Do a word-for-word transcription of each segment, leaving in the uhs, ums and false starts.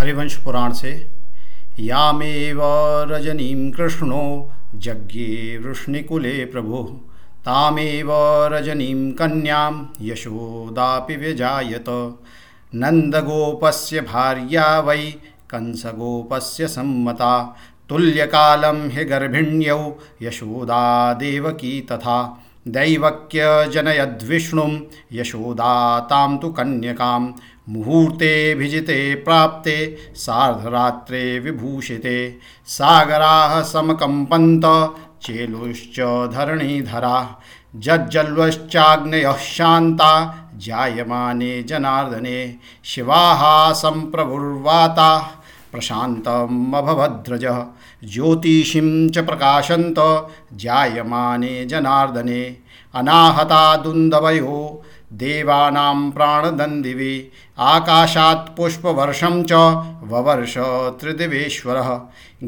हरिवंश पुराण से यामेव रजनीं कृष्णो जज्ञे वृष्णिकुले प्रभुः तामेव रजनीं कन्यां यशोदापि व्यजायत। नन्दगोपस्य भार्या वै कंसगोपस्य सम्मता तुल्यकालं हि गर्भिण्यौ यशोदा देवकी तथा। दैवक्य जनयद्विष्णुं यशोदा तां तु कन्यकां मुहूर्ते भिजिते प्राप्ते सार्धरात्रे विभूषिते। सागराः समकम्पन्त चेलुश्च धरणीधरा जज्जल्वश्चाग्नयः शान्ता जायमाने जनार्दने। शिवाः सम्प्रभुर्वाताः प्रशान्तमभवद्रजः ज्योतिषीं च प्रकाशन्त जायमाने जनार्दने। अनाहता दुन्दवयो देवानां प्राणदन्दिवे आकाशात् पुष्पवर्षं च ववर्ष त्रिदिवेश्वरः।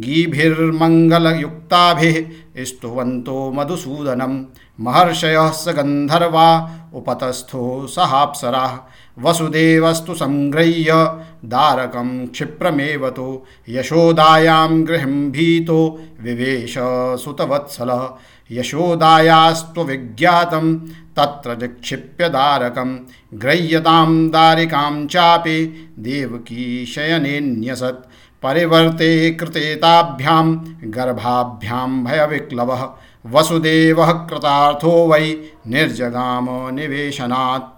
गीभिर्मङ्गलयुक्ताभिः स्तुवन्तो मधुसूदनं महर्षयः स गन्धर्वा उपतस्थो सहाप्सराः। वसुदेवस्तु संगृह्य दारकं क्षिप्रमेव तु यशोदायां गृहं भीतो विवेश सुतवत्सलः। यशोदायास्तु विज्ञातं तत्र निक्षिप्य दारकं गृह्यतां दारिकां चापि देवकी शयनेन्यसत्। परिवर्ते कृते ताभ्यां गर्भाभ्यां भयविक्लवः वसुदेवः कृतार्थो वै निर्जगाम निवेशनात्।